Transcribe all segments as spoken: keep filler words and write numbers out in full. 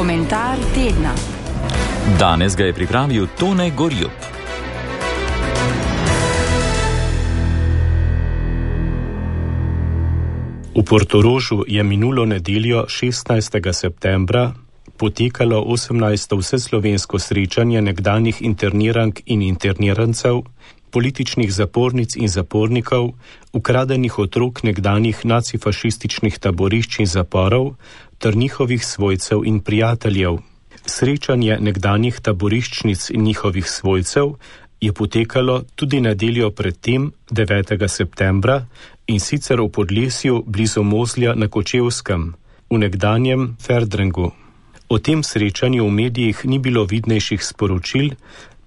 Komentar tedna. Danes ga je pripravil Tone Gorjup. V Portorožu je minulo nedeljo šestnajstega septembra potekalo osemnajsto vseslovensko srečanje nekdanjih internirank in internirancev, političnih zapornic in zapornikov, ukradenih otrok nekdanjih nacifašističnih taborišč in zaporov ter njihovih svojcev in prijateljev. Srečanje nekdanjih taboriščnic in njihovih svojcev je potekalo tudi nedeljo predtem, devetega septembra, in sicer v Podlesju blizu Mozlja na Kočevskem, v nekdanjem Ferdrengu. O tem srečanju v medijih ni bilo vidnejših sporočil,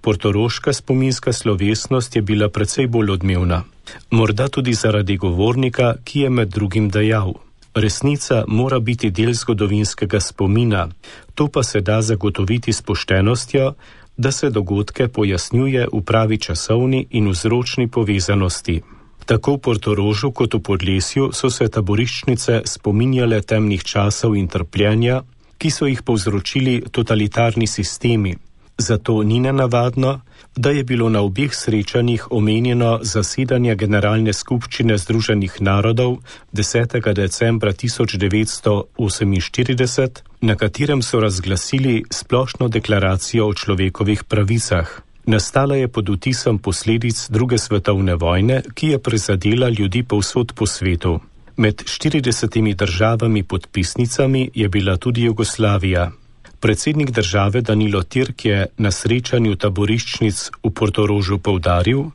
portoroška spominska slovesnost je bila precej bolj odmevna. Morda tudi zaradi govornika, ki je med drugim dejal: resnica mora biti del zgodovinskega spomina, to pa se da zagotoviti s poštenostjo, da se dogodke pojasnjuje v pravi časovni in vzročni povezanosti. Tako v Portorožu kot v Podlesju so se taboriščnice spominjale temnih časov in trpljenja, ki so jih povzročili totalitarni sistemi. Zato ni nenavadno, da je bilo na obeh srečanjih omenjeno zasedanje Generalne skupščine Združenih narodov desetega decembra tisoč devetsto oseminštirideset, na katerem so razglasili splošno deklaracijo o človekovih pravicah. Nastala je pod vtisom posledic druge svetovne vojne, ki je prizadela ljudi povsod po svetu. Med štiridesetimi državami podpisnicami je bila tudi Jugoslavija. Predsednik države Danilo Türk je na srečanju taboriščnic v Portorožu poudaril,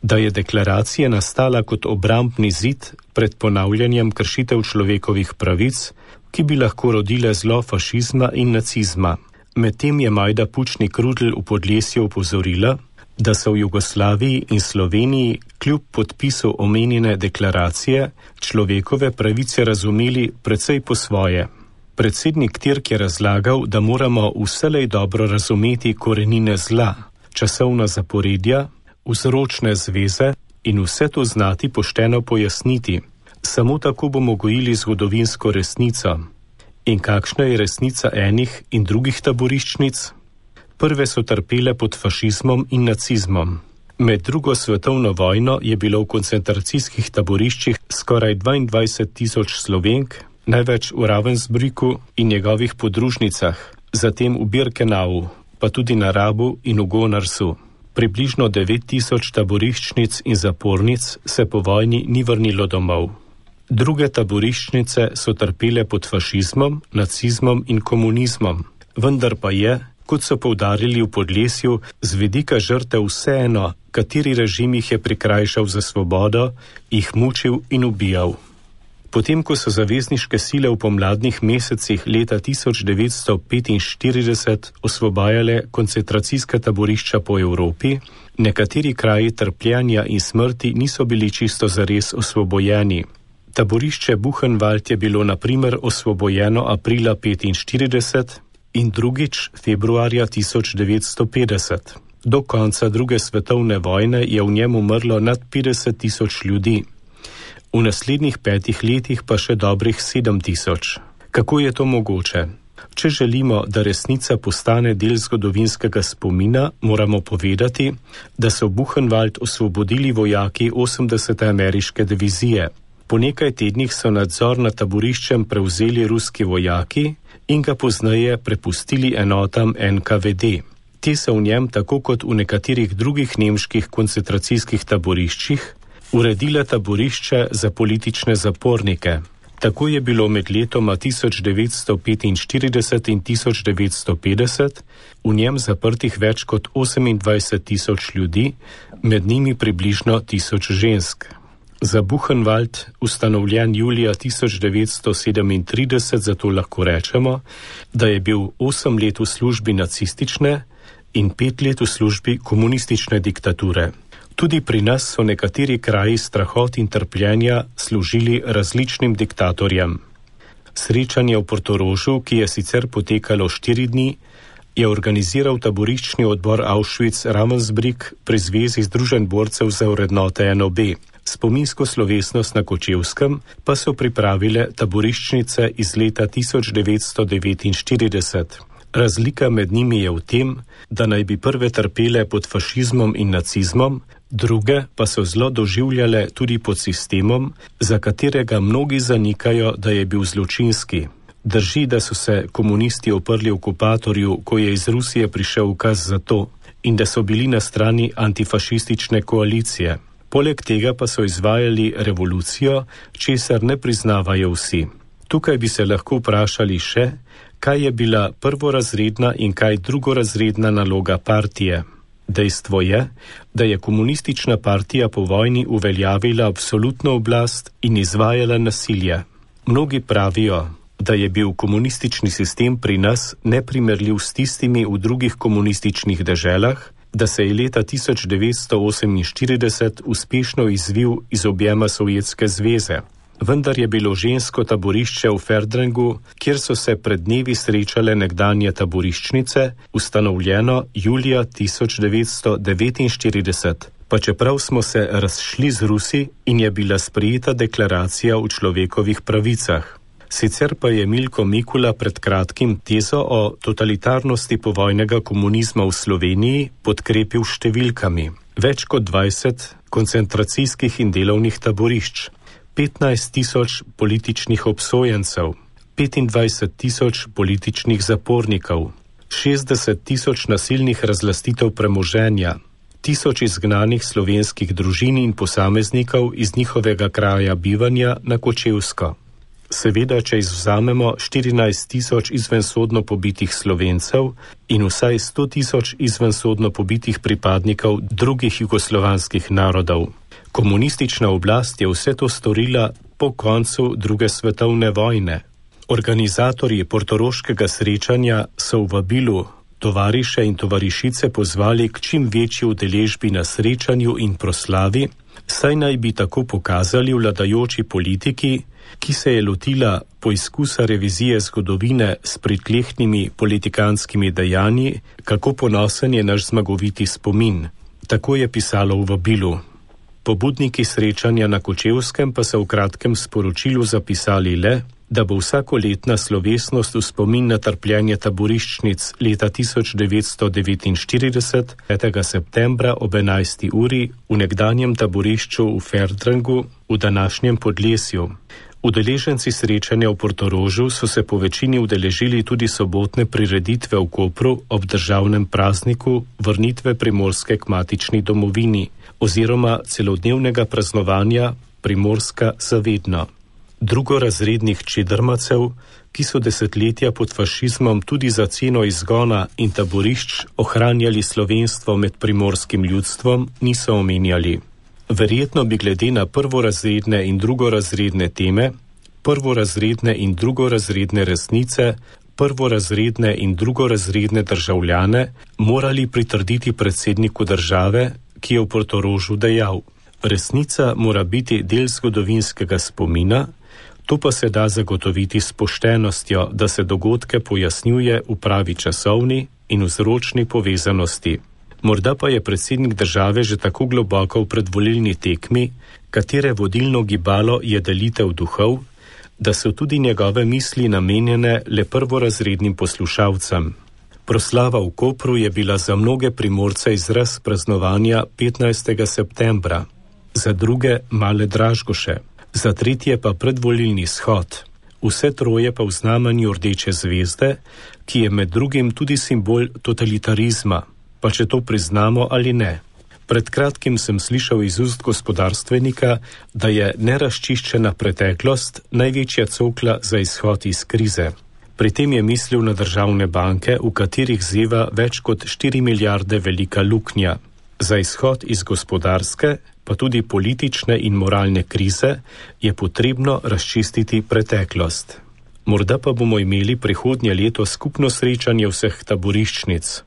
da je deklaracija nastala kot obrambni zid pred ponavljanjem kršitev človekovih pravic, ki bi lahko rodile zlo fašizma in nacizma. Medtem je Majda Pučnik Rudl v Podlesju opozorila, da so v Jugoslaviji in Sloveniji kljub podpisu omenjene deklaracije človekove pravice razumeli precej po svoje. Predsednik Türk je razlagal, da moramo vselej dobro razumeti korenine zla, časovna zaporedja, vzročne zveze in vse to znati pošteno pojasniti. Samo tako bomo gojili zgodovinsko resnico. In kakšna je resnica enih in drugih taboriščnic? Prve so trpele pod fašizmom in nacizmom. Med drugo svetovno vojno je bilo v koncentracijskih taboriščih skoraj dvaindvajset tisoč Slovenk, največ v Ravensbrücku in njegovih podružnicah, zatem v Birkenau, pa tudi na Rabu in v Gonarsu. Približno devet tisoč taboriščnic in zapornic se po vojni ni vrnilo domov. Druge taboriščnice so trpele pod fašizmom, nacizmom in komunizmom, vendar pa je, kot so poudarili v Podlesju, z vidika žrtev vseeno, kateri režim jih je prikrajšal za svobodo, jih mučil in ubijal. Potem, ko so zavezniške sile v pomladnih mesecih leta tisoč devetsto petinštirideset osvobajale koncentracijska taborišča po Evropi, nekateri kraji trpljenja in smrti niso bili čisto zares osvobojeni. Taborišče Buchenwald je bilo na primer osvobojeno aprila petinštirideset in drugič februarja tisoč devetsto petdeset. Do konca druge svetovne vojne je v njem umrlo nad petdeset tisoč ljudi. V naslednjih petih letih pa še dobrih sedem tisoč. Kako je to mogoče? Če želimo, da resnica postane del zgodovinskega spomina, moramo povedati, da so Buchenwald osvobodili vojaki osemdesete ameriške divizije. Po nekaj tednih so nadzor nad taboriščem prevzeli ruski vojaki in ga pozneje prepustili enotam N K V D. Te so v njem, tako kot v nekaterih drugih nemških koncentracijskih taboriščih, uredile taborišče za politične zapornike. Tako je bilo med letoma tisoč devetsto petinštirideset in tisoč devetsto petdeset v njem zaprtih več kot osemindvajset tisoč ljudi, med njimi približno tisoč žensk. Za Buchenwald, ustanovljen julija tisoč devetsto sedemintrideset, zato lahko rečemo, da je bil osem let v službi nacistične in pet let v službi komunistične diktature. Tudi pri nas so nekateri kraji strahot in trpljenja služili različnim diktatorjem. Srečanje v Portorožu, ki je sicer potekalo štiri dni, je organiziral taboriščni odbor Auschwitz-Ravensbrück pri Zvezi združenj borcev za vrednote N O B. Spominsko slovesnost na Kočevskem pa so pripravile taboriščnice iz leta tisoč devetsto devetinštirideset. Razlika med njimi je v tem, da naj bi prve trpele pod fašizmom in nacizmom, druge pa so zlo doživljale tudi pod sistemom, za katerega mnogi zanikajo, da je bil zločinski. Drži, da so se komunisti oprli okupatorju, ko je iz Rusije prišel ukaz za to, in da so bili na strani antifašistične koalicije. Poleg tega pa so izvajali revolucijo, česar ne priznavajo vsi. Tukaj bi se lahko vprašali še, kaj je bila prvorazredna in kaj drugorazredna naloga partije. Dejstvo je, da je komunistična partija po vojni uveljavila absolutno oblast in izvajala nasilje. Mnogi pravijo, da je bil komunistični sistem pri nas neprimerljiv s tistimi v drugih komunističnih deželah, da se je leta tisoč devetsto oseminštirideset uspešno izvil iz objema Sovjetske zveze. Vendar je bilo žensko taborišče v Ferdrengu, kjer so se pred dnevi srečale nekdanje taboriščnice, ustanovljeno julija tisoč devetsto devetinštirideset, pa čeprav smo se razšli z Rusi in je bila sprejeta deklaracija o človekovih pravicah. Sicer pa je Milko Mikula pred kratkim tezo o totalitarnosti povojnega komunizma v Sloveniji podkrepil številkami. Več kot dvajset koncentracijskih in delovnih taborišč, petnajst tisoč političnih obsojencev, petindvajset tisoč političnih zapornikov, šestdeset tisoč nasilnih razlastitev premoženja, tisoč izgnanih slovenskih družin in posameznikov iz njihovega kraja bivanja na Kočevsko. Seveda, če izvzamemo štirinajst tisoč izvensodno pobitih Slovencev in vsaj sto tisoč izvensodno pobitih pripadnikov drugih jugoslovanskih narodov. Komunistična oblast je vse to storila po koncu druge svetovne vojne. Organizatorji portoroškega srečanja so v vabilu tovariše in tovarišice pozvali k čim večji udeležbi na srečanju in proslavi, saj naj bi tako pokazali vladajoči politiki, ki se je lotila poizkusa revizije zgodovine s pritlehnimi politikanskimi dejanji, kako ponosen je naš zmagoviti spomin. Tako je pisalo v vabilu. Pobudniki srečanja na Kočevskem pa so v kratkem sporočilu zapisali le, da bo vsakoletna slovesnost v spomin na trpljenje taboriščnic leta tisoč devetsto devetinštirideset, petega septembra ob enajsti uri v nekdanjem taborišču v Ferdrengu v današnjem Podlesju. Udeleženci srečanja v Portorožu so se po večini udeležili tudi sobotne prireditve v Kopru ob državnem prazniku vrnitve Primorske k matični domovini oziroma celodnevnega praznovanja Primorska zavedno. Drugorazrednih čedrmacev, ki so desetletja pod fašizmom tudi za ceno izgona in taborišč ohranjali slovenstvo med primorskim ljudstvom, niso omenjali. Verjetno bi glede na prvorazredne in drugorazredne teme, prvorazredne in drugorazredne resnice, prvorazredne in drugorazredne državljane morali pritrditi predsedniku države, ki je v Portorožu dejal: resnica mora biti del zgodovinskega spomina, to pa se da zagotoviti s poštenostjo, da se dogodke pojasnjuje v pravi časovni in vzročni povezanosti. Morda pa je predsednik države že tako globoko v predvolilni tekmi, katere vodilno gibalo je delitev duhov, da so tudi njegove misli namenjene le prvorazrednim poslušalcem. Proslava v Kopru je bila za mnoge Primorce izraz praznovanja petnajstega septembra, za druge male Dražgoše, za tretje pa predvolilni shod. Vse troje pa v znamenju rdeče zvezde, ki je med drugim tudi simbol totalitarizma, pa če to priznamo ali ne. Pred kratkim sem slišal iz ust gospodarstvenika, da je nerazčiščena preteklost največja cokla za izhod iz krize. Pri tem je mislil na državne banke, v katerih zeva več kot štiri milijarde velika luknja. Za izhod iz gospodarske, pa tudi politične in moralne krize, je potrebno razčistiti preteklost. Morda pa bomo imeli prihodnje leto skupno srečanje vseh taboriščnic.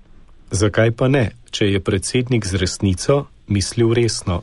Zakaj pa ne, če je predsednik z resnico mislil resno?